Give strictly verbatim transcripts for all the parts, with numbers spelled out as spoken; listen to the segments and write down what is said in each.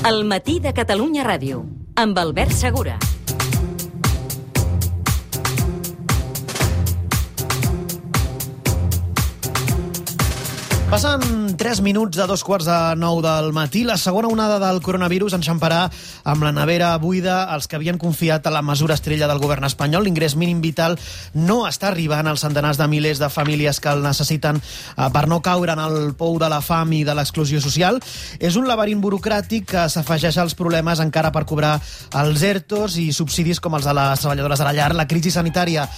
El matí de Catalunya Ràdio, amb Albert Segura. Passen tres minuts de dos quarts de nou del matí. La segona onada del coronavirus enxamparà amb la nevera buida els que havien confiat a la mesura estrella del govern espanyol. L'ingrés mínim vital no està arribant als centenars de milers de famílies que el necessiten per no caure en el pou de la fam i de l'exclusió social. És un laberint burocràtic que s'afegeix als problemes encara per cobrar els ERTOs i subsidis com els de les treballadores de la llar. La crisi sanitària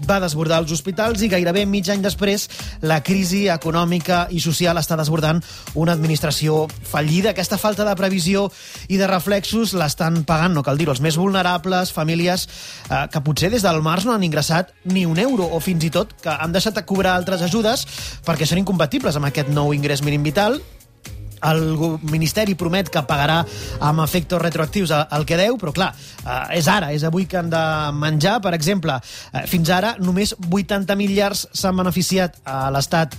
va desbordar els hospitals i gairebé mig any després la crisi econòmica i social està desbordant una administració fallida. Aquesta falta de previsió i de reflexos l'estan pagant, no cal dir-ho, els més vulnerables, famílies eh, que potser des del març no han ingressat ni un euro o fins i tot que han deixat de cobrar altres ajudes perquè són incompatibles amb aquest nou ingrés mínim vital. El Ministeri promet que pagarà amb efectes retroactius el que deu, però clar, és ara, és avui que han de menjar. Per exemple, fins ara només vuitanta mil llars s'han beneficiat a l'Estat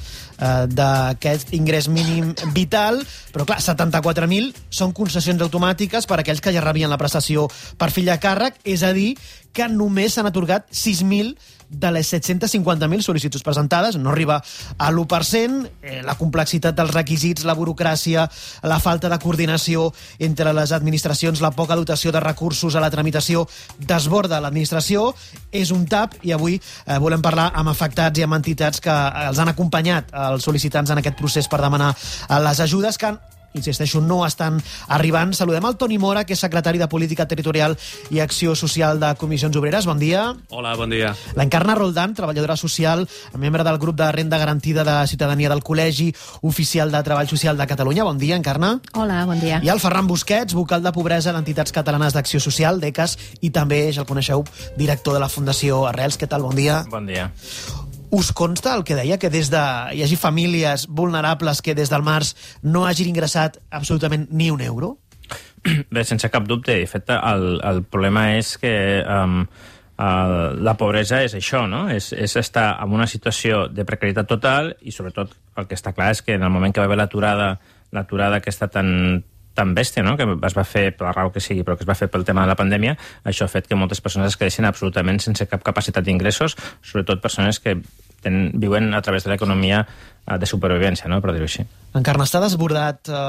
d'aquest ingrés mínim vital, però clar, setanta-quatre mil són concessions automàtiques per a aquells que ja rebien la prestació per fill a càrrec, és a dir, que només s'han atorgat sis mil de les set-cents cinquanta mil sol·licituds presentades, no arriba a l'u per cent. Eh, la complexitat dels requisits, la burocràcia, la falta de coordinació entre les administracions, la poca dotació de recursos a la tramitació desborda l'administració, és un tap, i avui eh, volem parlar amb afectats i amb entitats que els han acompanyat els sol·licitants en aquest procés per demanar les ajudes que han insisteixo, no estan arribant. Saludem el Toni Mora, que és secretari de Política Territorial i Acció Social de Comissions Obreres. Bon dia. Hola, bon dia. L'Encarna Roldán, treballadora social, membre del grup de Renda Garantida de Ciutadania del Col·legi Oficial de Treball Social de Catalunya. Bon dia, Encarna. Hola, bon dia. I el Ferran Busquets, vocal de Pobresa d'Entitats Catalanes d'Acció Social, d'E C A S, i també, ja el coneixeu, director de la Fundació Arrels. Què tal? Bon dia. Bon dia. Us consta el que deia, que des de hi hagi famílies vulnerables que des del març no hagin ingressat absolutament ni un euro? Bé, sense cap dubte. De fet, el, el problema és que um, el, la pobresa és això, no? És, és estar en una situació de precarietat total i, sobretot, el que està clar és que en el moment que va haver l'aturada, l'aturada aquesta tan tan bèstia, no?, que es va fer per la raó que sigui, però que es va fer pel tema de la pandèmia, això ha fet que moltes persones es quedessin absolutament sense cap capacitat d'ingressos, sobretot persones que ten, viuen a través de l'economia de supervivència, no?, per dir-ho així. Encara està desbordat eh,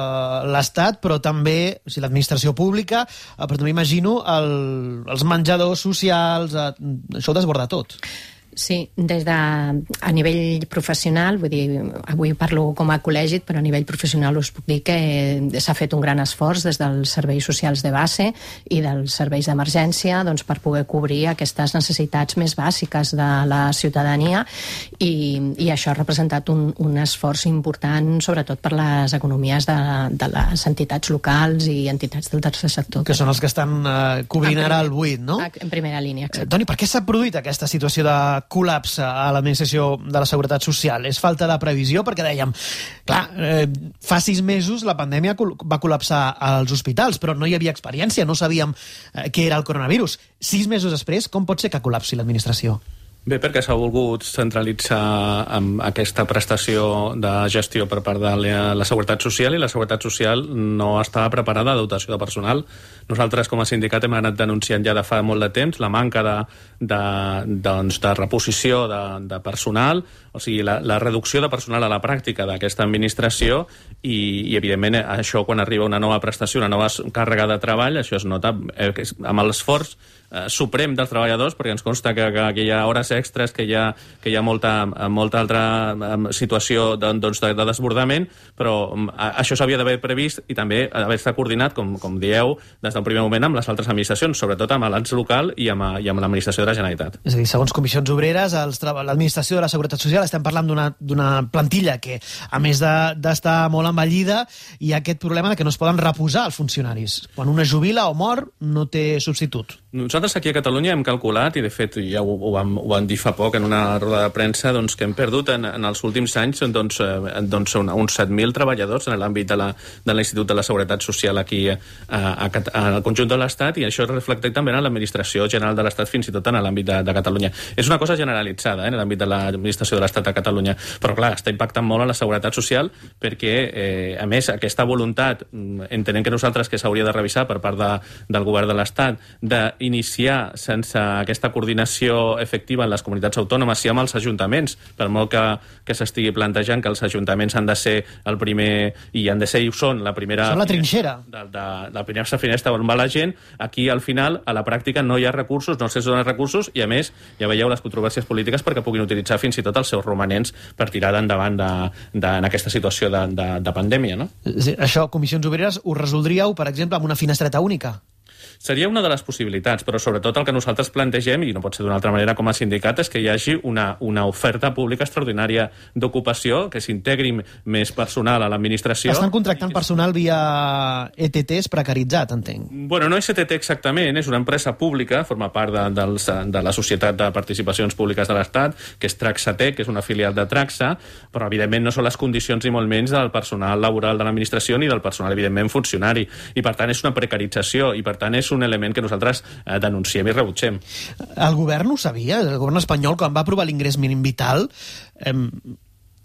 l'Estat, però també o sigui, l'administració pública, eh, però també imagino el, els menjadors socials, eh, això ho desborda tot. Sí, des de, a nivell professional, vull dir, avui parlo com a col·legi, però a nivell professional us puc dir que s'ha fet un gran esforç des dels serveis socials de base i dels serveis d'emergència, doncs, per poder cobrir aquestes necessitats més bàsiques de la ciutadania i, i això ha representat un, un esforç important, sobretot per les economies de, de les entitats locals i entitats del tercer sector. Que són els que estan eh, cobrint ara el buit, no? En primera línia, exacte. Eh, Toni, per què s'ha produït aquesta situació de col·lapse a l'administració de la Seguretat Social? És falta de previsió? Perquè dèiem, clar, eh, fa sis mesos la pandèmia va col·lapsar als hospitals, però no hi havia experiència, no sabíem eh, què era el coronavirus. Sis mesos després, com pot ser que col·lapsi l'administració? Bé, perquè s'ha volgut centralitzar amb aquesta prestació de gestió per part de la Seguretat Social i la Seguretat Social no estava preparada de dotació de personal. Nosaltres, com a sindicat, hem anat denunciant ja de fa molt de temps la manca de, de, doncs, de reposició de, de personal, o sigui, la, la reducció de personal a la pràctica d'aquesta administració i, i, evidentment, això quan arriba una nova prestació, una nova càrrega de treball, això es nota eh, amb l'esforç eh, suprem dels treballadors, perquè ens consta que, que, que hi ha hores extres, que hi ha, que hi ha molta, molta altra situació de, doncs, de, de desbordament, però això s'havia d'haver previst i també haver estat coordinat, com, com dieu, des del primer moment amb les altres administracions, sobretot amb l'ens local i amb, i amb l'administració de la Generalitat. És a dir, segons Comissions Obreres, els, l'administració de la Seguretat Social, estem parlant d'una plantilla que, a més d'estar de, molt envellida, hi ha aquest problema de que no es poden reposar els funcionaris. Quan una jubila o mor, no té substitut. Nosaltres aquí a Catalunya hem calculat, i de fet ja ho, ho, vam, ho vam vam dir fa poc en una roda de premsa doncs, que hem perdut en, en els últims anys doncs, eh, doncs, uns set mil treballadors en l'àmbit de, la, de l'Institut de la Seguretat Social aquí a, a, a, al conjunt de l'Estat, i això es reflecta també en l'Administració General de l'Estat, fins i tot en l'àmbit de, de Catalunya. És una cosa generalitzada eh, en l'àmbit de l'Administració de l'Estat a Catalunya, però clar, està impactant molt en la seguretat social perquè, eh, a més, aquesta voluntat, entenem que nosaltres que s'hauria de revisar per part de, del govern de l'Estat, d'iniciar sense aquesta coordinació efectiva en les comunitats autònomes i amb els ajuntaments, per molt que, que s'estigui plantejant que els ajuntaments han de ser el primer, i han de ser i ho són, la primera... Són la trinxera. De, de, de la primera finestra on va la gent, aquí al final, a la pràctica, no hi ha recursos, no se donen recursos, i a més, ja veieu les controvèrsies polítiques perquè puguin utilitzar fins i tot els seus romanents per tirar endavant de, de, en aquesta situació de, de, de pandèmia, no? Sí, això, Comissions Obreres, ho resoldríeu, per exemple, amb una finestreta única? Seria una de les possibilitats, però sobretot el que nosaltres plantegem, i no pot ser d'una altra manera com a sindicat, és que hi hagi una, una oferta pública extraordinària d'ocupació, que s'integri més personal a l'administració. Estan contractant que... personal via E T Ts precaritzat, entenc. Bueno, no és E T T exactament, és una empresa pública, forma part de, dels, de la Societat de Participacions Públiques de l'Estat, que és Traxatec, que és una filial de Traxa, però evidentment no són les condicions ni molt menys del personal laboral de l'administració ni del personal, evidentment, funcionari. I per tant és una precarització, i per tant és un element que nosaltres eh, denunciem i rebutgem. El govern ho sabia? El govern espanyol, quan va aprovar l'ingrés mínim vital, eh,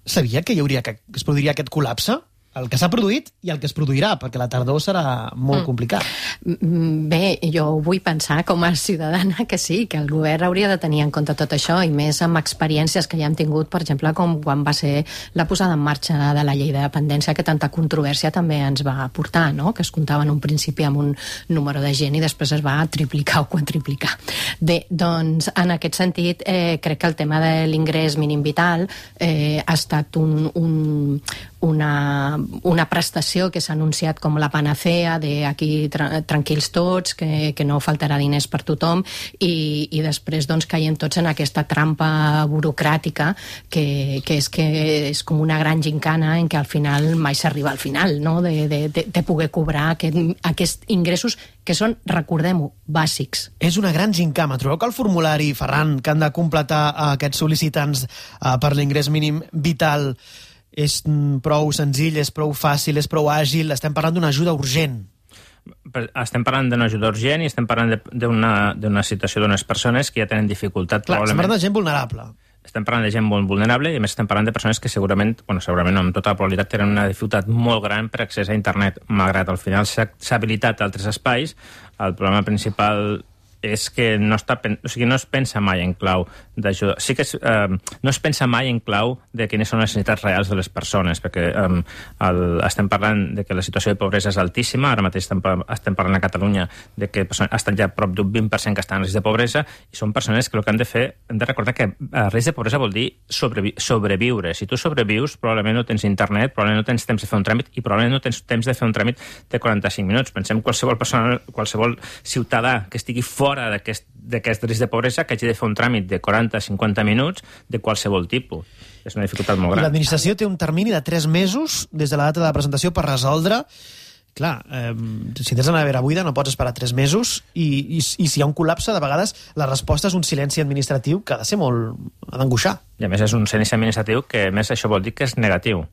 sabia que hi hauria que es produiria aquest col·lapse? El que s'ha produït i el que es produirà, perquè la tardor serà molt mm. complicat. Bé, jo vull pensar com a ciutadana que sí, que el govern hauria de tenir en compte tot això, i més amb experiències que ja hem tingut, per exemple, com quan va ser la posada en marxa de la llei de dependència, que tanta controvèrsia també ens va portar, no? Que es comptava en un principi amb un número de gent i després es va triplicar o quadriplicar. Bé, doncs, en aquest sentit, eh, crec que el tema de l'ingrés mínim vital eh, ha estat un, un, una una prestació que s'ha anunciat com la panacea de aquí tra tranquils tots, que, que no faltarà diners per tothom, i, i després doncs caiem tots en aquesta trampa burocràtica que, que és que és com una gran gincana en què al final mai s'arriba al final, no? de, de, de, de poder cobrar aquest, aquests ingressos que són, recordem-ho, bàsics. És una gran gincama. Trobeu que el formulari, Ferran, que han de completar aquests sol·licitants uh, per l'ingrés mínim vital és prou senzill, és prou fàcil, és prou àgil? Estem parlant d'una ajuda urgent. Estem parlant d'una ajuda urgent i estem parlant d'una situació d'unes persones que ja tenen dificultat. Clar, estem parlant de gent vulnerable. Estem parlant de gent molt vulnerable i a més estem parlant de persones que segurament, bueno, segurament no, amb tota la probabilitat tenen una dificultat molt gran per accés a internet, malgrat al final s'ha habilitat altres espais. El problema principal és que no, està, o sigui, no es pensa mai en clau d'ajuda. Sí que es, eh, no es pensa mai en clau de quines són les necessitats reals de les persones, perquè eh, el, estem parlant de que la situació de pobresa és altíssima, ara mateix estem, estem parlant a Catalunya de que estan ja prop d'un vint per cent que estan en risc de pobresa, i són persones que el que han de fer, hem de recordar que eh, risc de pobresa vol dir sobrevi sobreviure. Si tu sobrevius, probablement no tens internet, probablement no tens temps de fer un tràmit, i probablement no tens temps de fer un tràmit de quaranta-cinc minuts. Pensem qualsevol persona, qualsevol ciutadà que estigui fora fora d'aquest risc de pobresa que hagi de fer un tràmit de quaranta a cinquanta minuts de qualsevol tipus. És una dificultat molt gran. L'administració té un termini de tres mesos des de la data de la presentació per resoldre. Clar, eh, si tens una nevera buida no pots esperar tres mesos i, i, i si hi ha un col·lapse, de vegades la resposta és un silenci administratiu que ha de ser molt... ha d'angoixar. I a més és un silenci administratiu que a més això vol dir que és negatiu.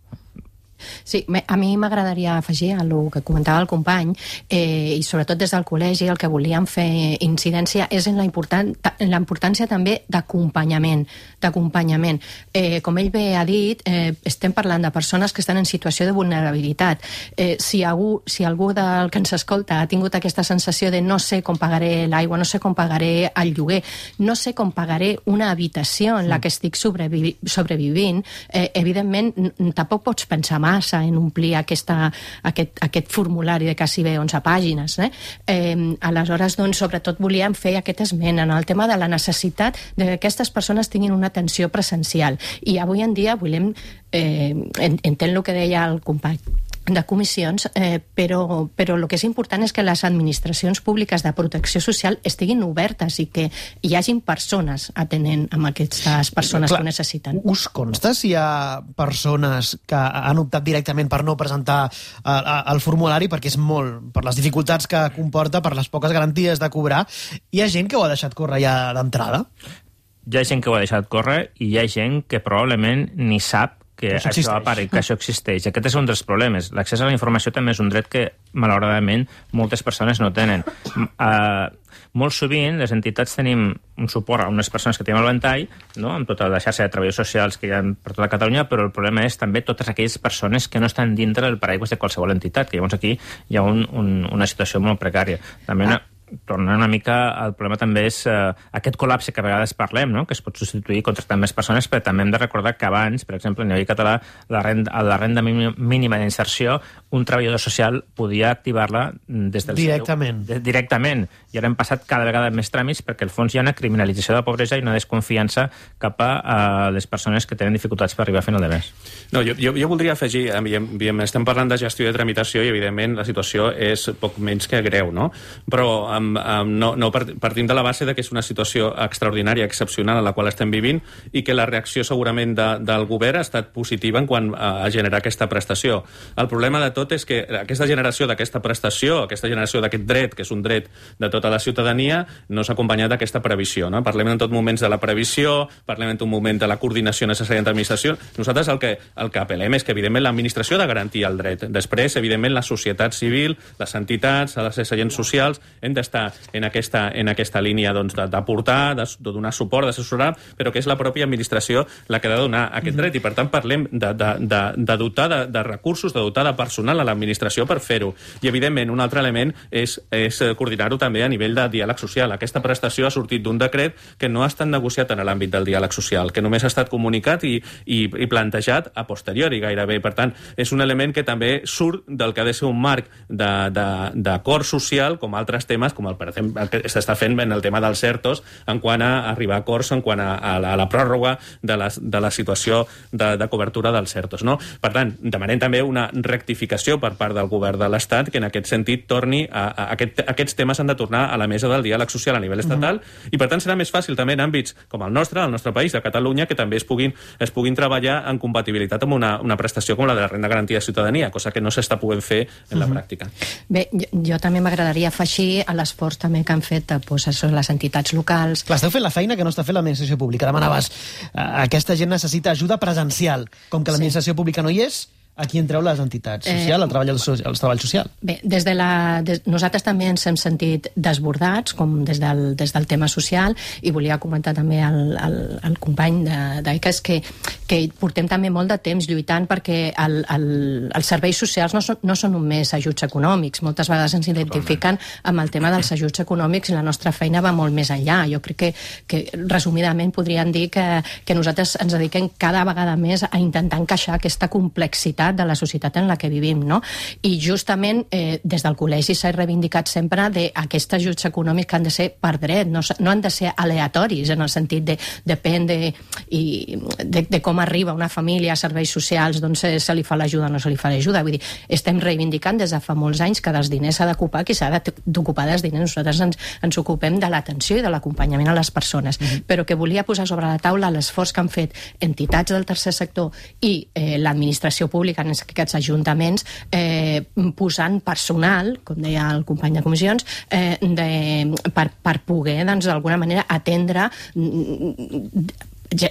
Sí, a mi m'agradaria afegir a el que comentava el company, eh, i sobretot des del col·legi el que volíem fer incidència és en la, important, en la importància també d'acompanyament, d'acompanyament. Eh, com ell bé ha dit, eh, estem parlant de persones que estan en situació de vulnerabilitat. Eh, si, algú, si algú del que ens escolta ha tingut aquesta sensació de no sé com pagaré l'aigua, no sé com pagaré el lloguer, no sé com pagaré una habitació en la que estic sobrevi sobrevivint, eh, evidentment tampoc pots pensar massa en omplir aquesta, aquest, aquest formulari de quasi bé onze pàgines. Eh? Eh, aleshores, doncs, sobretot volíem fer aquest esment en el tema de la necessitat de que aquestes persones tinguin una atenció presencial. I avui en dia volem, eh, entenc el que deia el company de comissions, eh, però, però el que és important és que les administracions públiques de protecció social estiguin obertes i que hi hagin persones atenent amb aquestes persones Clar, que ho necessiten. Us consta si hi ha persones que han optat directament per no presentar el formulari perquè és molt, per les dificultats que comporta, per les poques garanties de cobrar, hi ha gent que ho ha deixat córrer ja d'entrada? hi ha gent que ho ha deixat córrer i hi ha gent que probablement ni sap que això, això apareix, que això existeix. Aquest és un dels problemes. L'accés a la informació també és un dret que, malauradament, moltes persones no tenen. Uh, molt sovint, les entitats tenim un suport a unes persones que tenim al ventall, no?, amb tota la xarxa de treballadors socials que hi ha per tota Catalunya, però el problema és també totes aquelles persones que no estan dintre del paraigües de qualsevol entitat, que llavors aquí hi ha un, un, una situació molt precària. També una... tornant una mica, el problema també és eh, aquest col·lapse que a vegades parlem, no?, que es pot substituir contractant més persones, però també hem de recordar que abans, per exemple, a nivell català, la renda, la renda mínima d'inserció, un treballador social podia activar-la des del directament. Seu, de, directament. I ara hem passat cada vegada més tràmits perquè, al fons, hi ha una criminalització de la pobresa i una desconfiança cap a, a les persones que tenen dificultats per arribar a final de mes. No, jo, jo, jo voldria afegir, estem parlant de gestió i de tramitació i, evidentment, la situació és poc menys que greu, no? Però Um, um, no, no partim de la base de que és una situació extraordinària, excepcional, en la qual estem vivint i que la reacció segurament de, del govern ha estat positiva en quant a, a generar aquesta prestació. El problema de tot és que aquesta generació d'aquesta prestació, aquesta generació d'aquest dret, que és un dret de tota la ciutadania, no s'ha acompanyat d'aquesta previsió, no? Parlem en tot moments de la previsió, parlem en tot moment de la coordinació necessària entre l'administració. Nosaltres el que, el que apel·lem és que, evidentment, l'administració ha de garantir el dret. Després, evidentment, la societat civil, les entitats, els agents socials, hem de estar en aquesta, en aquesta línia doncs, d'aportar, de, de donar suport, d'assessorar, però que és la pròpia administració la que ha de donar aquest dret. I, per tant, parlem de, de, de, de dotar de, de recursos, de dotar de personal a l'administració per fer-ho. I, evidentment, un altre element és, és coordinar-ho també a nivell de diàleg social. Aquesta prestació ha sortit d'un decret que no ha estat negociat en l'àmbit del diàleg social, que només ha estat comunicat i, i, i plantejat a posteriori gairebé. Per tant, és un element que també surt del que ha de ser un marc d'acord social, com altres temes, com el, per exemple, el que s'està fent en el tema dels ERTOs, en quant a arribar a acords, en quant a, a, la, a la pròrroga de la, de la situació de, de cobertura dels ERTOs, no? Per tant, demanem també una rectificació per part del govern de l'Estat que en aquest sentit torni a, a, a aquest, aquests temes han de tornar a la mesa del diàleg social a nivell estatal, mm-hmm. i per tant serà més fàcil també en àmbits com el nostre, el nostre país, de Catalunya, que també es puguin, es puguin treballar en compatibilitat amb una, una prestació com la de la renda garantida de ciutadania, cosa que no s'està podent fer en mm-hmm. la pràctica. Bé, jo, jo també m'agradaria afegir a l'esforç també que han fet pues, això, les entitats locals. Clar, esteu fent la feina que no està fent l'administració pública. Demanaves, uh, aquesta gent necessita ajuda presencial. Com que l'administració sí. pública no hi és, aquí entreu les entitats socials, eh, el, treball, el, el treball social. Bé, des de la, des, nosaltres també ens hem sentit desbordats, com des del, des del tema social, i volia comentar també al, al, al company d'Aiques que, que portem també molt de temps lluitant perquè el, el, els serveis socials no són, no són només ajuts econòmics. Moltes vegades ens identifiquen amb el tema dels ajuts econòmics i la nostra feina va molt més enllà. Jo crec que, que resumidament podríem dir que, que nosaltres ens dediquem cada vegada més a intentar encaixar aquesta complexitat de la societat en la que vivim, no? I justament eh, des del col·legi s'ha reivindicat sempre d'aquests ajuts econòmics que han de ser per dret, no, no han de ser aleatoris, en el sentit de depèn de, i, de, de com arriba una família a serveis socials, doncs se, se li fa l'ajuda o no se li fa l'ajuda. Vull dir, estem reivindicant des de fa molts anys que dels diners s'ha d'ocupar qui s'ha d'ocupar dels diners. Nosaltres ens, ens ocupem de l'atenció i de l'acompanyament a les persones, mm-hmm. però que volia posar sobre la taula l'esforç que han fet entitats del tercer sector i eh, l'administració pública en aquests ajuntaments, eh, posant personal, com deia el company de comissions, eh, de, per, per poder, doncs, d'alguna manera, atendre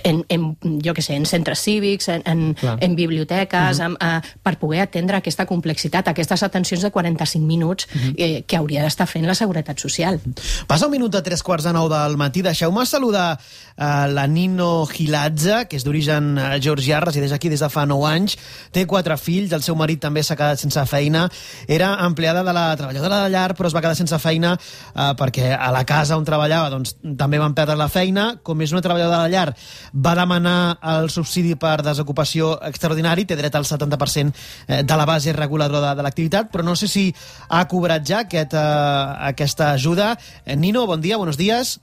en, en, jo què sé, en centres cívics, en, en, en biblioteques, uh-huh. en, uh, per poder atendre aquesta complexitat, aquestes atencions de quaranta-cinc minuts uh-huh. eh, que hauria d'estar fent la Seguretat Social. Passa un minut a tres quarts de nou del matí. Deixeu-me saludar uh, la Nino Giladze, que és d'origen georgià, resideix aquí des de fa nou anys, té quatre fills, el seu marit també s'ha quedat sense feina, era empleada de la treballadora de llar, però es va quedar sense feina uh, perquè a la casa on treballava doncs, també van perdre la feina. Com és una treballadora de llar, va demanar el subsidi per desocupació extraordinari, té dret al setanta per cent de la base reguladora de, de l'activitat, però no sé si ha cobrat ja aquest, uh, aquesta ajuda. Nino, bon dia, buenos días.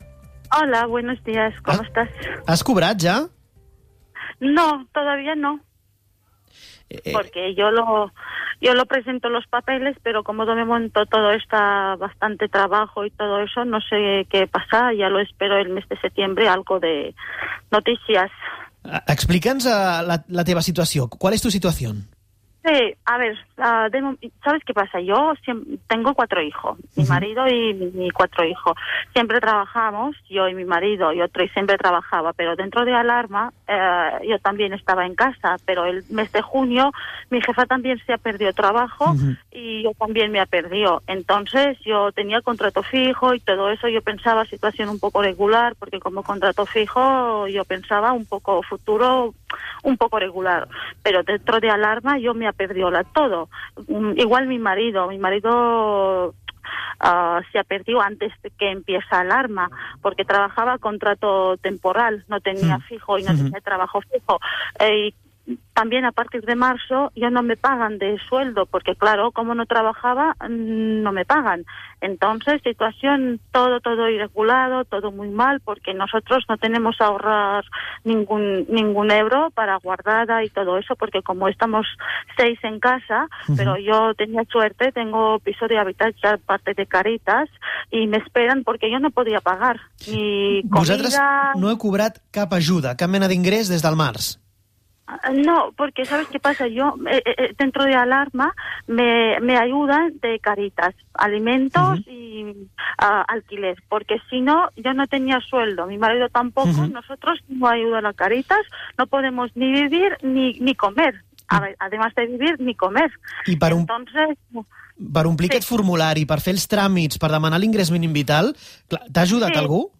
Hola, buenos días, ¿cómo ¿Has, estás? ¿Has cobrat ya? No, todavía no. Eh, porque yo lo yo lo presento los papeles, pero como de momento todo está bastante trabajo y todo eso, no sé qué pasa, ya lo espero el mes de septiembre, algo de noticias. Explica'ns uh, la, la teva situació. ¿Cuál es tu situación? Sí, a ver, uh, de, ¿sabes qué pasa? Yo siempre, tengo cuatro hijos, mi uh-huh. marido y mi, mi cuatro hijos. Siempre trabajamos, yo y mi marido y otro, y siempre trabajaba, pero dentro de Alarma uh, yo también estaba en casa, pero el mes de junio mi jefa también se ha perdido trabajo uh-huh. y yo también me ha perdido. Entonces yo tenía contrato fijo y todo eso, yo pensaba situación un poco regular, porque como contrato fijo yo pensaba un poco futuro, un poco regular, pero dentro de Alarma yo me perdió la todo. Um, igual mi marido, mi marido uh, se ha perdido antes de que empiece Alarma, porque trabajaba contrato temporal, no tenía fijo y no uh-huh. tenía trabajo fijo. Eh, También a partir de marzo ya no me pagan de sueldo, porque claro, como no trabajaba, no me pagan. Entonces, situación todo, todo irregulado, todo muy mal, porque nosotros no tenemos a ahorrar ningún ningún euro para guardada y todo eso, porque como estamos seis en casa, uh-huh. pero yo tenía suerte, tengo piso de habitatge parte de Caritas, i m'esperen perquè jo no podia pagar. Ni comida... Vosaltres no heu cobrat cap ajuda, cap mena d'ingrés des del març? No, porque ¿sabes qué pasa? Yo, eh, eh, dentro de Alarma, me, me ayudan de Caritas, alimentos uh-huh. y uh, alquiler, porque si no, yo no tenía sueldo, mi marido tampoco, uh-huh. nosotros no ayudan a Caritas, no podemos ni vivir ni, ni comer, uh-huh. además de vivir, ni comer. I per, un, Entonces, per omplir sí. aquest formulari, per fer els tràmits, per demanar l'ingrés mínim vital, t'ha ajudat sí. algú?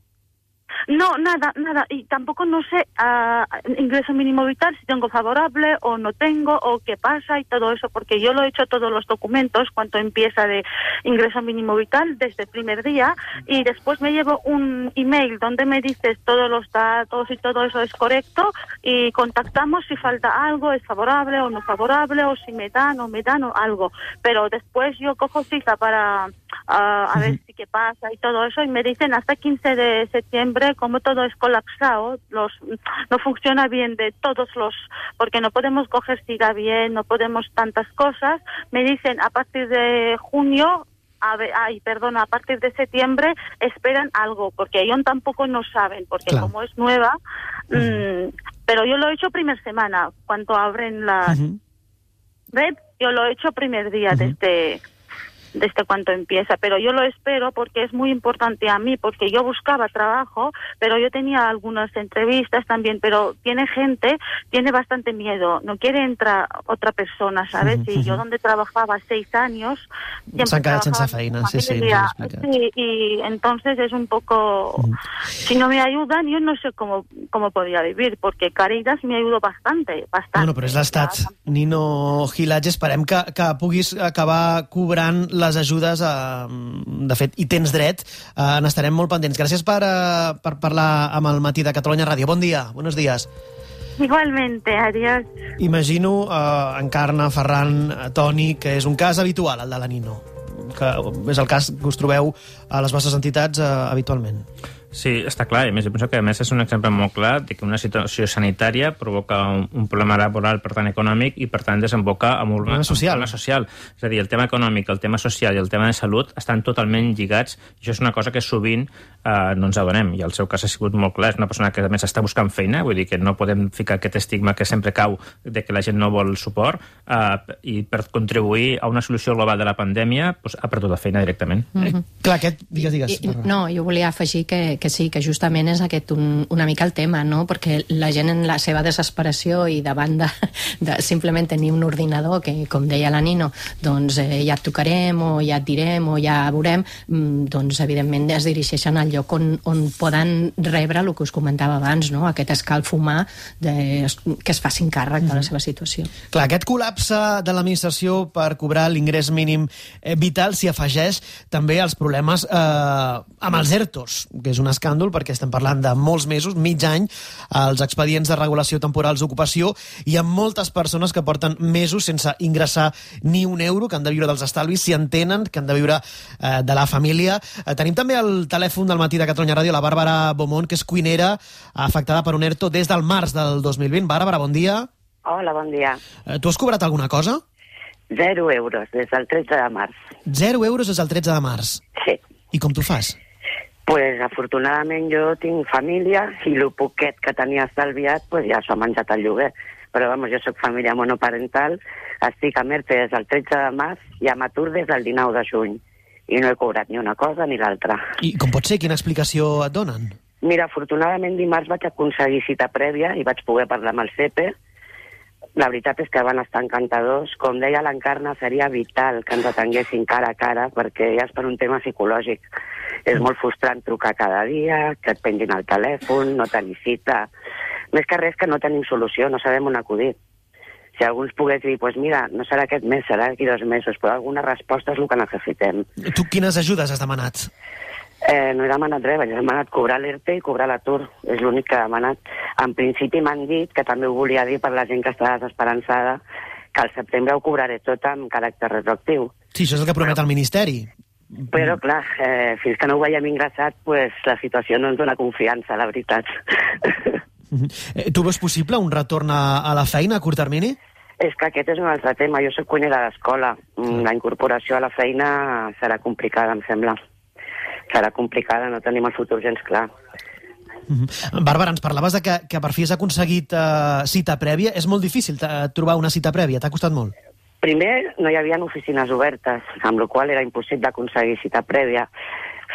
No, nada, nada. Y tampoco no sé uh, ingreso mínimo vital, si tengo favorable o no tengo, o qué pasa y todo eso, porque yo lo he hecho todos los documentos cuando empieza de ingreso mínimo vital desde el primer día, y después me llevo un email donde me dices todos los datos y todo eso es correcto, y contactamos si falta algo, es favorable o no favorable, o si me dan o me dan o algo. Pero después yo cojo cita para uh, a ver si qué pasa y todo eso, y me dicen hasta quince de septiembre, como todo es colapsado, los, no funciona bien de todos los, porque no podemos coger cita bien, no podemos tantas cosas, me dicen a partir de junio, a ver, ay, perdona, a partir de septiembre esperan algo, porque ellos tampoco no saben, porque claro. como es nueva, uh-huh. mmm, pero yo lo he hecho primer semana, cuando abren la uh-huh. web, yo lo he hecho primer día uh-huh. desde... desde cuando empieza, pero yo lo espero porque es muy importante a mí, porque yo buscaba trabajo, pero yo tenía algunas entrevistas también, pero tiene gente, tiene bastante miedo, no quiere entrar otra persona, ¿sabes? Uh-huh. Y yo donde trabajaba seis años, siempre trabajaba feina, sí, sí, sí, y entonces es un poco, uh-huh. si no me ayudan, yo no sé cómo, cómo podría vivir, porque Caritas me ayudó bastante, bastante. Bueno, però és l'Estat, Nino Gilatge, esperem que, que puguis acabar cobrant les ajudes, eh, de fet, hi tens dret, eh, n'estarem molt pendents. Gràcies per, eh, per parlar amb el Matí de Catalunya Ràdio. Bon dia, buenos días. Igualmente, adiós. Imagino, eh, Encarna, Ferran, Toni, que és un cas habitual, el de la Nino, que és el cas que us trobeu a les vostres entitats eh, habitualment. Sí, està clar, i a més, jo penso que a més és un exemple molt clar de que una situació sanitària provoca un, un problema laboral, per tant econòmic, i per tant desemboca en un problema social. social. És a dir, el tema econòmic, el tema social i el tema de salut estan totalment lligats, i això és una cosa que sovint eh, no ens adonem, i el seu cas ha sigut molt clar, és una persona que a més està buscant feina, vull dir que no podem ficar aquest estigma que sempre cau de que la gent no vol suport, eh, i per contribuir a una solució global de la pandèmia doncs, ha perdut la feina directament. Mm-hmm. Eh, clar, aquest, digues, digues. I, no, jo volia afegir que que sí, que justament és aquest un, una mica el tema, no? Perquè la gent en la seva desesperació i davant de, de simplement tenir un ordinador que, com deia la Nino, doncs eh, ja et tocarem o ja et direm o ja veurem, doncs evidentment es dirigeixen al lloc on, on poden rebre el que us comentava abans, no? Aquest escalf humà de, que es facin càrrec de la seva situació. Clar, aquest col·lapse de l'administració per cobrar l'ingrés mínim eh, vital s'hi afegeix també als problemes eh, amb els ERTOs, que és una escàndol perquè estem parlant de molts mesos, mig any, els expedients de regulació temporals d'ocupació, i hi ha moltes persones que porten mesos sense ingressar ni un euro, que han de viure dels estalvis, si en tenen, que han de viure eh, de la família. Eh, tenim també el telèfon del Matí de Catalunya Ràdio, la Bàrbara Beaumont, que és cuinera afectada per un ERTO des del març del dos mil vint. Bàrbara, bon dia. Hola, bon dia. Eh, tu has cobrat alguna cosa? Zero euros des del tretze de març. Zero euros des del tretze de març? Sí. I com t'ho fas? Pues afortunadament jo tinc família i el poquet que tenia estalviat pues ja s'ho ha menjat el lloguer. Però vamos, jo soc família monoparental, Estic a Merte des del tretze de març i a Matur des del dinou de juny. I no he cobrat ni una cosa ni l'altra. I com pot ser? Quina explicació et donen? Mira, afortunadament dimarts vaig aconseguir cita prèvia i vaig poder parlar amb el C E P E. La veritat és que van estar encantadors. Com deia l'Encarna, seria vital que ens atenguessin cara a cara, perquè ja és per un tema psicològic. És molt frustrant trucar cada dia, que et pengin el telèfon, no tenir cita. Més que res que no tenim solució, no sabem on acudir. Si algú ens pogués dir, pues mira, no serà aquest mes, serà d'aquí dos mesos, però alguna resposta és el que necessitem. Tu quines ajudes has demanat? Eh, no he demanat res, he demanat cobrar l'E R T i cobrar l'atur. És l'únic que he demanat. En principi m'han dit, que també ho volia dir per la gent que està desesperançada, que al setembre ho cobraré tot amb caràcter retroactiu. Sí, això és el que promet el Ministeri. Però, clar, eh, fins que no ho veiem ingressat, pues, la situació no ens dona confiança, la veritat. Eh, tu veus possible un retorn a, a la feina a curt termini? És que aquest és un altre tema. Jo soc cuinera d'escola. La incorporació a la feina serà complicada, em sembla. Serà complicada, no tenim el futur gens clar. Mm-hmm. Bàrbara, ens parlaves de que, que per fi has aconseguit uh, cita prèvia. És molt difícil uh, trobar una cita prèvia, t'ha costat molt? Primer, no hi havia oficines obertes, amb la qual era impossible aconseguir cita prèvia.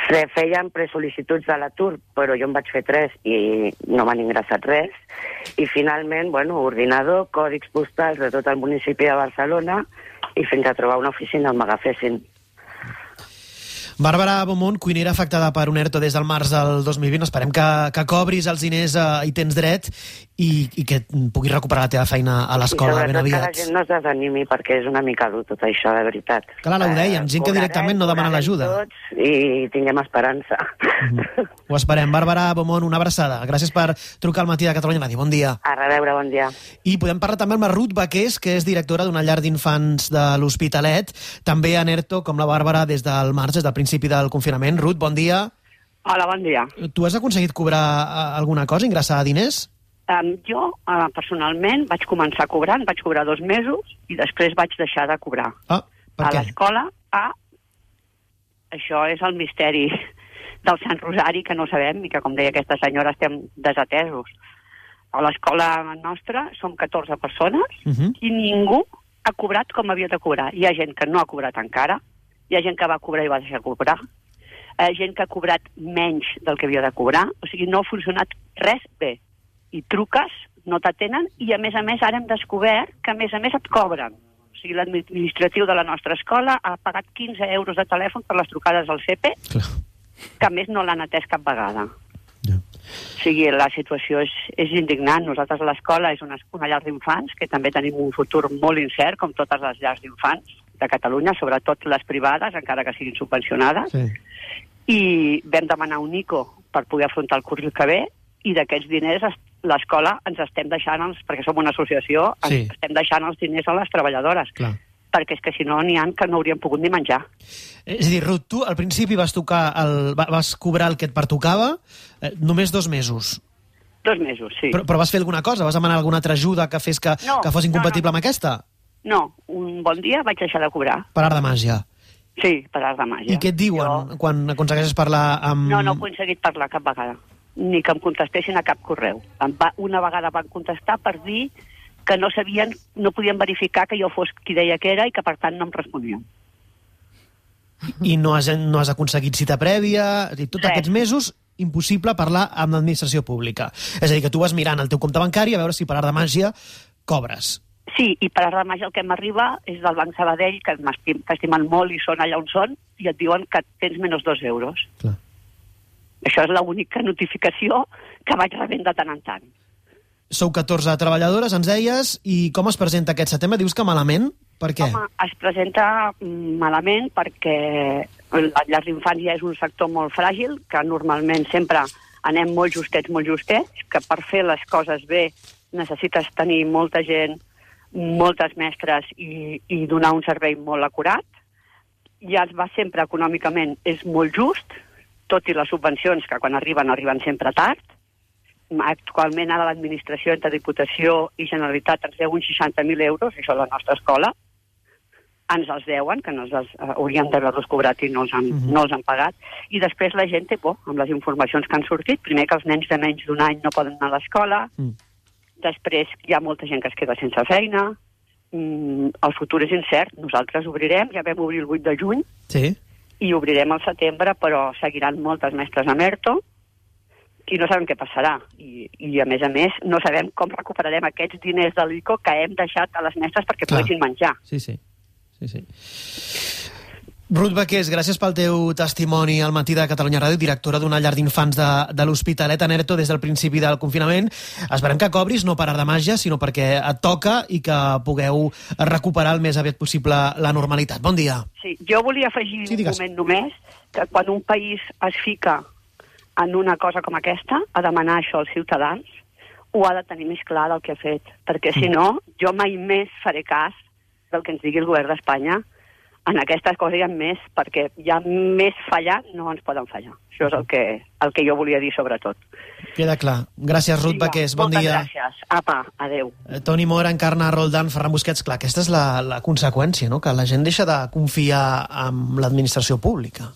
Feien presol·licituds de l'atur, però jo en vaig fer tres i no m'han ingressat res. I finalment, bueno, ordinador, còdics postals de tot el municipi de Barcelona i fins a trobar una oficina on m'agafessin. Bàrbara Beaumont, cuinera afectada per un ERTO des del març del dos mil vint. Esperem que, que cobris els diners eh, i tens dret i, i que puguis recuperar la teva feina a l'escola ben aviat. I sobretot que la gent no es desanimi perquè és una mica dur tot això, de veritat. Clar, ho dèiem, gent que directament no demana l'ajuda. I tinguem esperança. Mm-hmm. Ho esperem. Bàrbara Beaumont, una abraçada. Gràcies per trucar al matí de Catalunya Ràdio. Bon dia. A reveure, bon dia. I podem parlar també amb la Ruth Baqués, que és directora d'una llar d'infants de l'Hospitalet, també en ERTO, com la Bàrbara, des del març, des del principi del confinament. Ruth, bon dia. Hola, bon dia. Tu has aconseguit cobrar alguna cosa, ingressar diners? Um, jo, uh, personalment, vaig començar cobrant, vaig cobrar dos mesos i després vaig deixar de cobrar. Ah, per a què? A l'escola, a... Això és el misteri del Sant Rosari, que no sabem i que, com deia aquesta senyora, estem desatesos. A l'escola nostra som catorze persones uh-huh. i ningú ha cobrat com havia de cobrar. Hi ha gent que no ha cobrat encara, hi ha gent que va cobrar i va deixar de cobrar, hi ha gent que ha cobrat menys del que havia de cobrar, o sigui, no ha funcionat res bé. I truques, no t'atenen, i a més a més ara hem descobert que a més a més et cobren. O sigui, l'administratiu de la nostra escola ha pagat quinze euros de telèfon per les trucades al C E P E, Clar. que a més no l'han atès cap vegada. Yeah. O sigui, la situació és, és indignant. Nosaltres a l'escola és una, una llar d'infants, que també tenim un futur molt incert, com totes les llars d'infants de Catalunya, sobretot les privades, encara que siguin subvencionades, sí. I vam demanar un I C O per poder afrontar el curs que ve, i d'aquests diners l'escola ens estem deixant, els, perquè som una associació, sí. ens estem deixant els diners a les treballadores. Clar. Perquè és que si no n'hi ha que no hauríem pogut ni menjar. És a dir, Ruth, tu al principi vas tocar el, vas cobrar el que et pertocava eh, només dos mesos. Dos mesos, sí. Però, però vas fer alguna cosa? Vas demanar alguna altra ajuda que fes que, no, que fos incompatible no, no. amb aquesta? No, un bon dia vaig deixar de cobrar. Per art de màgia? Sí, per art de màgia. I què et diuen jo... quan aconsegueixes parlar amb... No, no he aconseguit parlar cap vegada. Ni que em contestessin a cap correu. Va, una vegada van contestar per dir que no sabien, no podien verificar que jo fos qui deia que era i que per tant no em responien. I no has, no has aconseguit cita prèvia? Tots sí. aquests mesos impossible parlar amb l'administració pública. És a dir, que tu vas mirant el teu compte bancari a veure si per art de màgia cobres. Sí, i per art de màgia el que m'arriba és del Banc Sabadell, que m'estimen molt i són allà on són, i et diuen que tens menys dos euros. Clar. Això és l'única notificació que vaig rebent de tant en tant. Sou catorze treballadores, ens deies, i com es presenta aquest setembre? Dius que malament? Per què? Home, es presenta malament perquè la llar d'infants ja és un sector molt fràgil, que normalment sempre anem molt justets, molt justets, que per fer les coses bé necessites tenir molta gent, moltes mestres i, i donar un servei molt acurat. Ja es va sempre econòmicament, és molt just, tot i les subvencions que quan arriben, arriben sempre tard. Actualment ara l'administració entre Diputació i Generalitat ens deu uns seixanta mil euros, això és la nostra escola. Ens els deuen, que no els uh, hauríem d'haver-los cobrat i no els, han, uh-huh. no els han pagat. I després la gent té por amb les informacions que han sortit. Primer que els nens de menys d'un any no poden anar a l'escola. Mm. Després hi ha molta gent que es queda sense feina. mm, el futur és incert. Nosaltres obrirem, ja vam obrir el vuit de juny, sí. i obrirem al setembre, però seguiran moltes mestres amb ERTO, i no sabem què passarà. I, i a més a més, no sabem com recuperarem aquests diners de l'I C O que hem deixat a les mestres perquè Clar. poguessin menjar. Sí, sí. sí, sí. Ruth Baqués, gràcies pel teu testimoni al Matí de Catalunya Ràdio, directora d'una llar d'infants de, de l'Hospitalet en ERTO des del principi del confinament. Esperem que cobris, no per art de màgia, sinó perquè et toca i que pugueu recuperar el més aviat possible la normalitat. Bon dia. Sí, jo volia afegir sí, un moment només que quan un país es fica en una cosa com aquesta, a demanar això als ciutadans, ho ha de tenir més clar del que ha fet, perquè si no, jo mai més faré cas del que ens digui el govern d'Espanya. En aquestes coses hi ha més, perquè hi ha més fallar, no ens poden fallar. Això és el que, el que jo volia dir, sobretot. Queda clar. Gràcies, Ruth Baqués. Bon dia. Moltes gràcies. Apa, adeu. Toni Mora, Encarna Roldán, Ferran Busquets. Clar, aquesta és la, la conseqüència, no? Que la gent deixa de confiar en l'administració pública.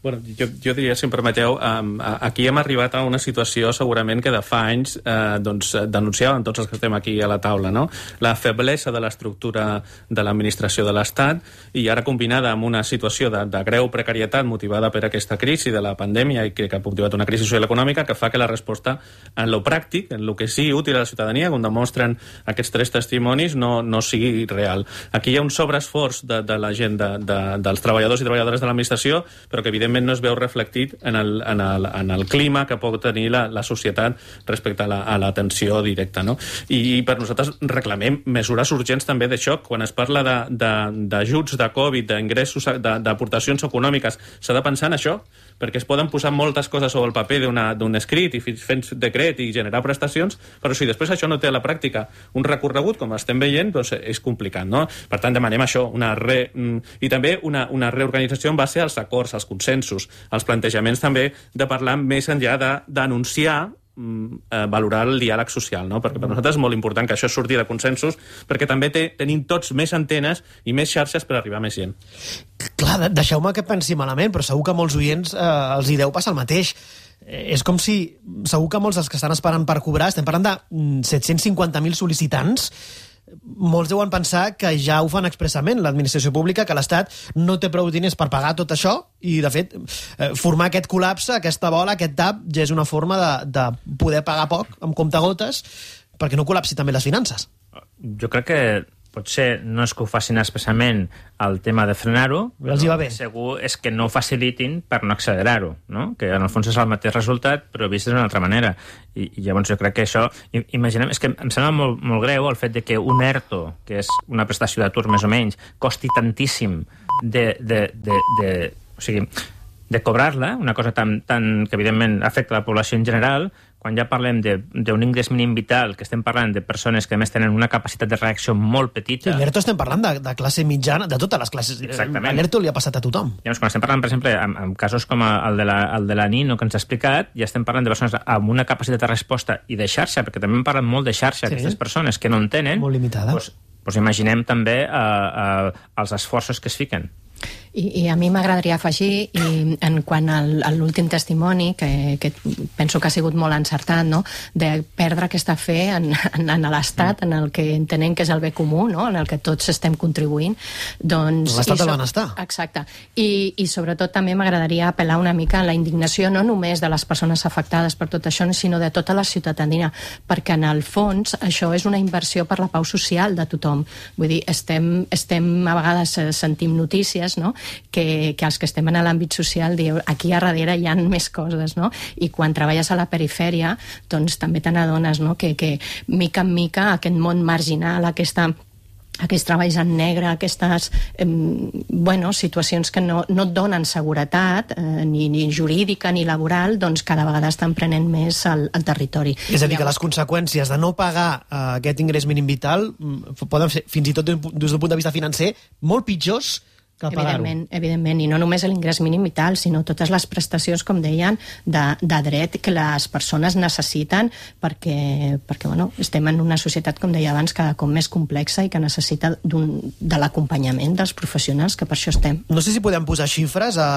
Bueno, jo, jo diria, si em permeteu, um, aquí hem arribat a una situació segurament que de fa anys eh, doncs, denunciaven tots els que estem aquí a la taula, no? La feblesa de l'estructura de l'administració de l'Estat i ara combinada amb una situació de, de greu precarietat motivada per aquesta crisi de la pandèmia i que, que ha motivat una crisi social econòmica que fa que la resposta en lo pràctic, en lo que sigui útil a la ciutadania, com demostren aquests tres testimonis, no, no sigui real. Aquí hi ha un sobreesforç de, de la gent, de, de, dels treballadors i treballadores de l'administració, però que evidentment no es veu reflectit en el, en el, en el clima que pot tenir la, la societat respecte a l'atenció la, directa, no? I, I per nosaltres reclamem mesures urgents també de xoc. Quan es parla d'ajuts de, de, de Covid, d'ingressos, d'aportacions econòmiques, s'ha de pensar en això, perquè es poden posar moltes coses sobre el paper d'un escrit i fent decret i generar prestacions, però si després això no té a la pràctica un recorregut, com estem veient, doncs és complicat, no? Per tant, demanem això, una re... i també una, una reorganització en base als acords, als consensos, als plantejaments també de parlar més enllà de denunciar, eh, valorar el diàleg social, no? Perquè per nosaltres és molt important que això surti de consensos, perquè també té, tenim tots més antenes i més xarxes per arribar a més gent. Clar, deixeu-me que pensi malament, però segur que a molts oients eh, els hi deu passar el mateix. Eh, és com si, segur que molts dels que estan esperant per cobrar, estem parlant de set-cents cinquanta mil sol·licitants, molts deuen pensar que ja ho fan expressament l'administració pública, que l'Estat no té prou diners per pagar tot això i, de fet, formar aquest col·lapse, aquesta bola, aquest tap, ja és una forma de, de poder pagar poc amb comptagotes perquè no col·lapsi també les finances. Jo crec que potser no és que ho facin expressament el tema de frenar-ho, els hi va bé. Segur és que no ho facilitin per no accelerar-ho, no? Que en el fons és el mateix resultat, però vist d'una altra manera. I, i llavors jo crec que això... Imaginem, és que em sembla molt, molt greu el fet de que un ERTO, que és una prestació d'atur més o menys, costi tantíssim de... de, de, de o sigui, de cobrar-la, una cosa tan, tan que evidentment afecta la població en general, quan ja parlem d'un ingrés mínim vital, que estem parlant de persones que a més tenen una capacitat de reacció molt petita... Sí, l'ERTO estem parlant de, de classe mitjana, de totes les classes. Exactament. L'ERTO li ha passat a tothom. Llavors, quan estem parlant, per exemple, en, en casos com el de, la, el de la Nino, que ens ha explicat, ja estem parlant de persones amb una capacitat de resposta i de xarxa, perquè també hem parlat molt de xarxa, sí. Aquestes persones que no en tenen... Molt limitada. Doncs, doncs imaginem també eh, eh, els esforços que es fiquen. I, i a mi m'agradaria afegir, i en quant al, a l'últim testimoni, que, que penso que ha sigut molt encertat, no? De perdre aquesta fe en, en, en l'Estat, en el que entenem que és el bé comú, no? En el que tots estem contribuint. Doncs, L'Estat del benestar. Exacte. I, i sobretot també m'agradaria apel·lar una mica a la indignació, no només de les persones afectades per tot això, sinó de tota la ciutadania, perquè en el fons això és una inversió per la pau social de tothom. Vull dir, estem, estem a vegades sentim notícies, no? Que, que els que estem en l'àmbit social diu aquí a darrere hi ha més coses, no? I quan treballes a la perifèria doncs també te n'adones, no? Que, que mica en mica aquest món marginal, aquesta aquests treballs en negre, aquestes eh, bueno, situacions que no, no et donen seguretat, eh, ni, ni jurídica ni laboral, doncs cada vegada estan prenent més el, el territori. És a dir, que les conseqüències de no pagar eh, aquest ingrés mínim vital poden ser, fins i tot des del punt de vista financer, molt pitjors que pagar-ho. Evidentment, evidentment, i no només l'ingrés mínim vital, sinó totes les prestacions, com deien, de, de dret que les persones necessiten perquè, perquè bueno, estem en una societat, com deia abans, cada cop més complexa i que necessita de l'acompanyament dels professionals, que per això estem. No sé si podem posar xifres a,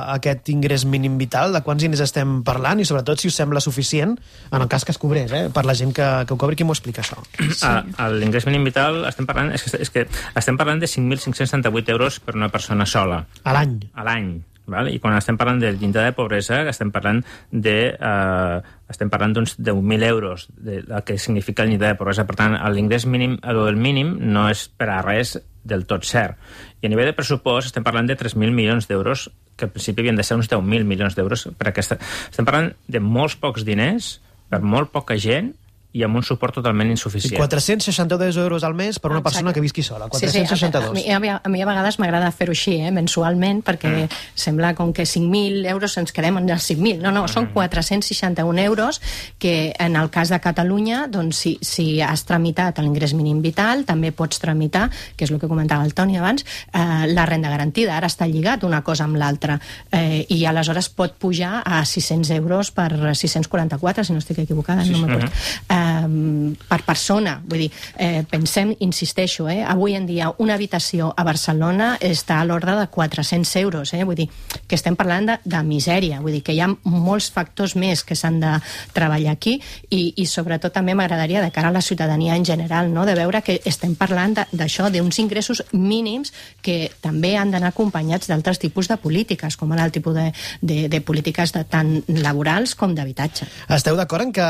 a aquest ingrés mínim vital, de quants diners estem parlant i sobretot si us sembla suficient en el cas que es cobrés, eh? Per la gent que, que ho cobri. Qui m'ho explica, això? Sí. A l'ingrés mínim vital estem parlant, és que, és que estem parlant de cinc mil cinc-cents setanta-vuit euros per una persona sola. A l'any. A l'any. Val? I quan estem parlant del llindar de pobresa estem parlant de eh, estem parlant d'uns deu mil euros de, de que significa el llindar de pobresa. Per tant, l'ingrés mínim, el mínim no és per a res del tot cert. I a nivell de pressupost estem parlant de tres mil milions d'euros, que al principi havien de ser uns deu mil milions d'euros per aquesta. Estem parlant de molts pocs diners per molt poca gent i amb un suport totalment insuficient. quatre-cents seixanta-dos euros al mes per una Exacte. persona que visqui sola. quatre-cents seixanta-dos. Sí, sí, a, mi, a mi a vegades m'agrada fer-ho així, eh, mensualment, perquè mm. sembla com que cinc mil euros ens quedem en els cinc mil. No, no, mm. són quatre-cents seixanta-un euros que en el cas de Catalunya, doncs, si, si has tramitat l'ingrés mínim vital, també pots tramitar, que és el que comentava el Toni abans, eh, la renda garantida. Ara està lligat una cosa amb l'altra. Eh, I aleshores pot pujar a sis-cents euros per sis-cents quaranta-quatre, si no estic equivocada, sí, no m'acord. Eh, per persona, vull dir, eh, pensem, insisteixo, eh, avui en dia una habitació a Barcelona està a l'ordre de quatre-cents euros, eh, vull dir, que estem parlant de, de misèria, vull dir que hi ha molts factors més que s'han de treballar aquí i, i sobretot també m'agradaria de cara a la ciutadania en general, no?, de veure que estem parlant d'això, d'uns ingressos mínims que també han d'anar acompanyats d'altres tipus de polítiques, com ara el tipus de, de, de polítiques de, tant laborals com d'habitatge. Esteu d'acord en que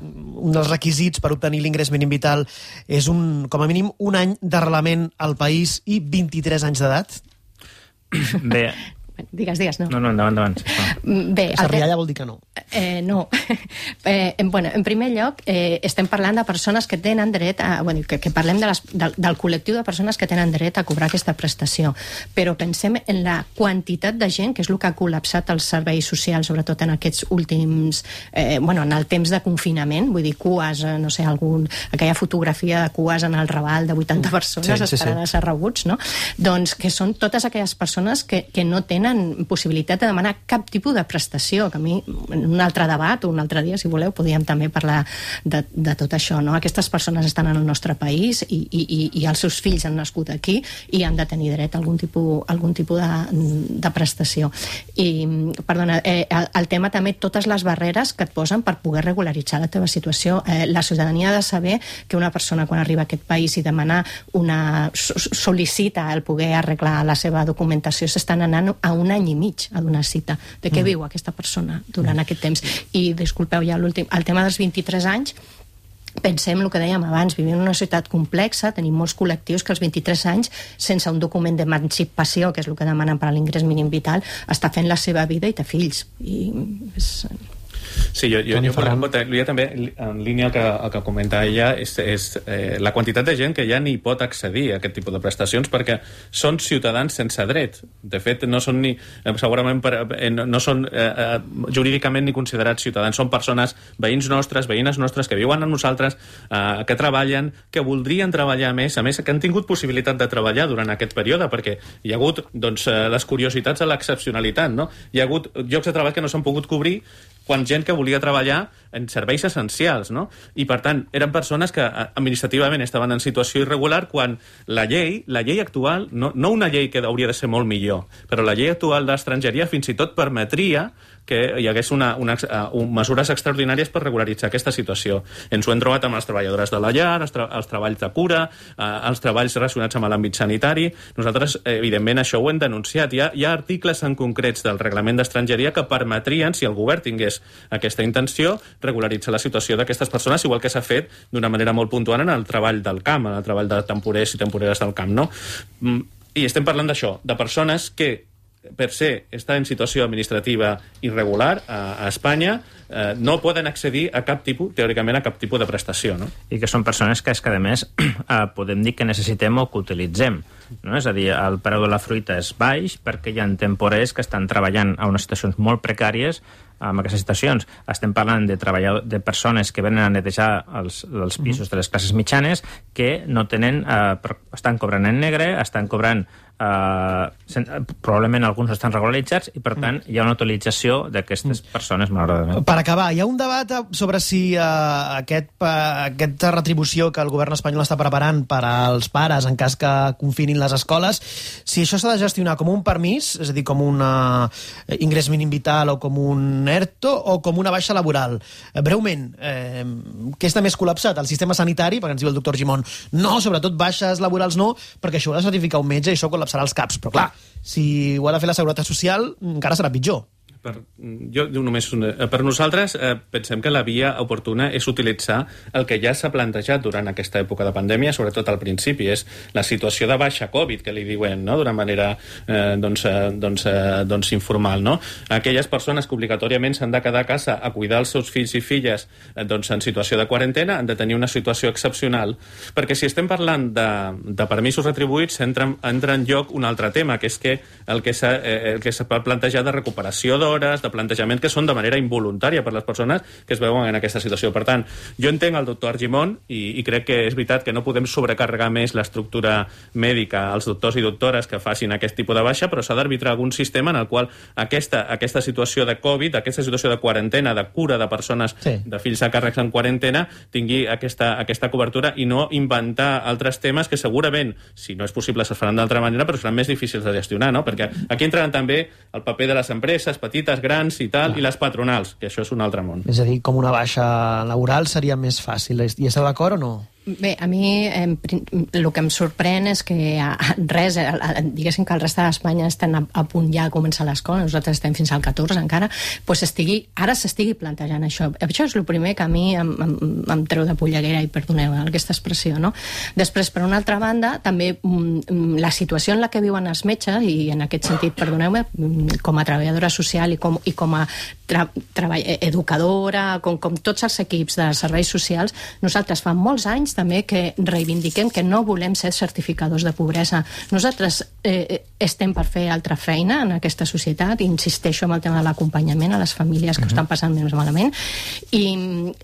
un dels requisits per obtenir l'ingrés mínim vital és un, com a mínim un any d'arrelament al país i vint-i-tres anys d'edat? Bé... Digues, digues, no. No, no, endavant, endavant. Sí, bé, Sarrialla vol dir que no. Eh, no. eh, bueno, en primer lloc, eh, estem parlant de persones que tenen dret a... Bueno, que, que parlem de les, del, del col·lectiu de persones que tenen dret a cobrar aquesta prestació. Però pensem en la quantitat de gent, que és el que ha col·lapsat els serveis socials, sobretot en aquests últims... Eh, bueno, en el temps de confinament, vull dir, cues, no sé, algun, aquella fotografia de cues en el Raval de vuitanta persones sí, sí, esperant sí. a ser rebuts, no? Doncs que són totes aquelles persones que, que no tenen possibilitat de demanar cap tipus de prestació, que a mi, en un altre debat o un altre dia, si voleu, podríem també parlar de, de tot això, no? Aquestes persones estan en el nostre país i, i, i els seus fills han nascut aquí i han de tenir dret a algun tipus, algun tipus de, de prestació. I, perdona, eh, el, el tema també, totes les barreres que et posen per poder regularitzar la teva situació. Eh, la ciutadania ha de saber que una persona quan arriba a aquest país i demana una... sol·licita el poder arreglar la seva documentació, s'estan anant a un any i mig a donar cita. De què mm. viu aquesta persona durant mm. aquest temps? I, disculpeu, ja l'últim, el tema dels vint-i-tres anys, pensem el que dèiem abans, vivim en una societat complexa, tenim molts col·lectius que als vint-i-tres anys, sense un document d'emancipació, que és el que demanen per a l'ingrés mínim vital, està fent la seva vida i té fills. I és... Sí, jo, jo, jo, jo, jo també, en línia el que, el que comenta ella, és, és eh, la quantitat de gent que ja ni pot accedir a aquest tipus de prestacions perquè són ciutadans sense dret. De fet, no són ni, segurament per, eh, no són eh, jurídicament ni considerats ciutadans. Són persones, veïns nostres, veïnes nostres, que viuen amb nosaltres, eh, que treballen, que voldrien treballar més, a més, que han tingut possibilitat de treballar durant aquest període, perquè hi ha hagut doncs, les curiositats de l'excepcionalitat, no? Hi ha hagut llocs de treball que no s'han pogut cobrir quan gent que volia treballar en serveis essencials, no? I, per tant, eren persones que administrativament estaven en situació irregular quan la llei, la llei actual, no, no una llei que hauria de ser molt millor, però la llei actual d'estrangeria fins i tot permetria que hi hagués una, una, uh, mesures extraordinàries per regularitzar aquesta situació. Ens ho hem trobat amb les treballadores de la llar, els, tra els treballs de cura, uh, els treballs relacionats amb l'àmbit sanitari. Nosaltres, evidentment, això ho hem denunciat. Hi ha, hi ha articles en concrets del reglament d'estrangeria que permetrien, si el govern tingués aquesta intenció, regularitzar la situació d'aquestes persones, igual que s'ha fet d'una manera molt puntual en el treball del camp, en el treball de temporers i temporeres del camp, no? I estem parlant d'això, de persones que per ser estar en situació administrativa irregular a, a Espanya, eh, no poden accedir a cap tipus, teòricament, a cap tipus de prestació, no? I que són persones que, és que a més, eh, podem dir que necessitem o que utilitzem, no? És a dir, el preu de la fruita és baix perquè hi ha temporers que estan treballant a unes situacions molt precàries en aquestes situacions. Estem parlant de treballadors, de persones que venen a netejar els, els pisos de les classes mitjanes que no tenen, eh, estan cobrant en negre, estan cobrant Uh, sen, probablement alguns estan regularitzats i, per tant, hi ha una utilització d'aquestes persones, malauradament. Per acabar, hi ha un debat sobre si uh, aquest, uh, aquesta retribució que el govern espanyol està preparant per als pares en cas que confinin les escoles, si això s'ha de gestionar com un permís, és a dir, com un uh, ingrés mínim vital o com un ERTO o com una baixa laboral. Uh, breument, eh, què està més col·lapsat? El sistema sanitari, perquè ens diu el doctor Gimón, no, sobretot baixes laborals no, perquè això ho ha de certificar un metge i això col·lapsarà els caps, però clar, si ho ha de fer la Seguretat Social encara serà pitjor. Per, jo només una, per nosaltres eh, pensem que la via oportuna és utilitzar el que ja s'ha plantejat durant aquesta època de pandèmia, sobretot al principi, és la situació de baixa Covid, que li diuen, no?, d'una manera eh, doncs, eh, doncs, eh, doncs informal, no? Aquelles persones que obligatòriament s'han de quedar a casa a cuidar els seus fills i filles eh, doncs, en situació de quarantena han de tenir una situació excepcional, perquè si estem parlant de, de permisos retribuïts entra, entra en lloc un altre tema, que és que el que s'ha eh, plantejat de recuperació d'hores, de plantejament que són de manera involuntària per les persones que es veuen en aquesta situació. Per tant, jo entenc el doctor Argimon i, i crec que és veritat que no podem sobrecarregar més l'estructura mèdica als doctors i doctores que facin aquest tipus de baixa, però s'ha d'arbitrar algun sistema en el qual aquesta, aquesta situació de Covid, aquesta situació de quarantena, de cura de persones, sí, de fills a càrrecs en quarantena, tingui aquesta, aquesta cobertura i no inventar altres temes que segurament, si no és possible, es faran d'altra manera, però seran més difícils de gestionar, no? Perquè aquí entraran també el paper de les empreses petites, grans i tal, ah, i les patronals, que això és un altre món. És a dir, com una baixa laboral seria més fàcil. I esteu d'acord o no? Bé, a mi eh, el que em sorprèn és que res, diguéssim que el reste d'Espanya estan a, a punt ja a començar l'escola, nosaltres estem fins al catorze encara, doncs estigui, ara s'estigui plantejant això. Això és el primer que a mi em, em, em treu de polleguera, i perdoneu aquesta expressió, no? Després, per una altra banda, també la situació en la que viuen els metges, i en aquest sentit, perdoneu-me, com a treballadora social i com, i com a tra, treball, educadora, com, com tots els equips de serveis socials, nosaltres fa molts anys també que reivindiquem que no volem ser certificadors de pobresa. Nosaltres eh, estem per fer altra feina en aquesta societat, i insisteixo en el tema de l'acompanyament a les famílies que uh-huh. ho estan passant més malament, i,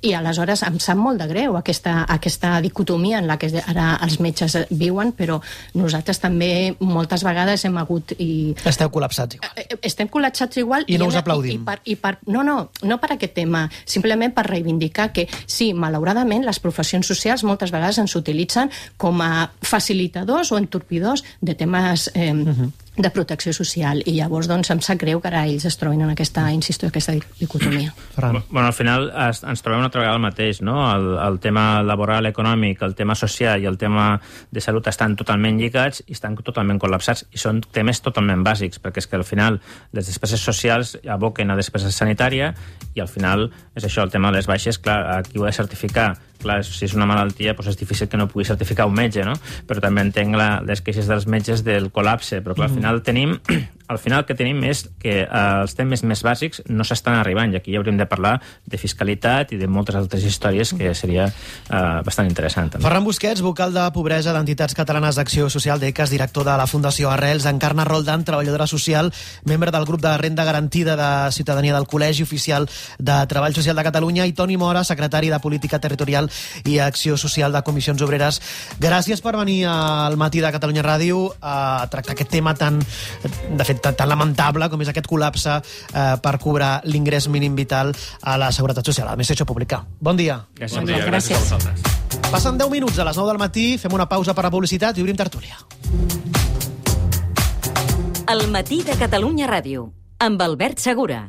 i aleshores em sap molt de greu aquesta, aquesta dicotomia en la que ara els metges viuen, però nosaltres també moltes vegades hem hagut... I, Esteu col·lapsats igual. Estem col·lapsats igual. I no us aplaudim. I, i per, i per, no, no, no per aquest tema, simplement per reivindicar que sí, malauradament, les professions socials moltes vegades ens utilitzen com a facilitadors o entorpidors de temes eh, uh-huh. de protecció social, i llavors doncs em sap greu que ara ells es trobin en aquesta, insisto, aquesta dicotomia. Bueno, al final es, ens trobem una altra vegada el mateix, no? El, el tema laboral, econòmic, el tema social i el tema de salut estan totalment lligats i estan totalment col·lapsats, i són temes totalment bàsics, perquè és que al final les despeses socials aboquen a despesa sanitària, i al final és això, el tema de les baixes, clar, aquí ho ha de certificar. Clar, si és una malaltia, doncs és difícil que no pugui certificar un metge, no? Però també entenc la, les queixes dels metges del col·lapse, però clar, al final tenim... Al final el que tenim és que eh, els temes més bàsics no s'estan arribant, i aquí hauríem de parlar de fiscalitat i de moltes altres històries que seria eh, bastant interessant. També. Ferran Busquets, vocal de Pobresa d'Entitats Catalanes d'Acció Social d'E C A S, director de la Fundació Arrels, Encarna Roldán, treballadora social, membre del grup de renda garantida de ciutadania del Col·legi Oficial de Treball Social de Catalunya, i Toni Mora, secretari de Política Territorial i Acció Social de Comissions Obreres. Gràcies per venir al Matí de Catalunya Ràdio a tractar aquest tema tan, de fet, tan, tan lamentable com és aquest col·lapse eh, per cobrar l'ingrés mínim vital a la Seguretat Social, a l'administració pública. Bon dia. Gràcies. Bon dia, gràcies a vosaltres. Passen deu minuts a les nou del matí, fem una pausa per la publicitat i obrim tertúlia. El Matí de Catalunya Ràdio, amb Albert Segura.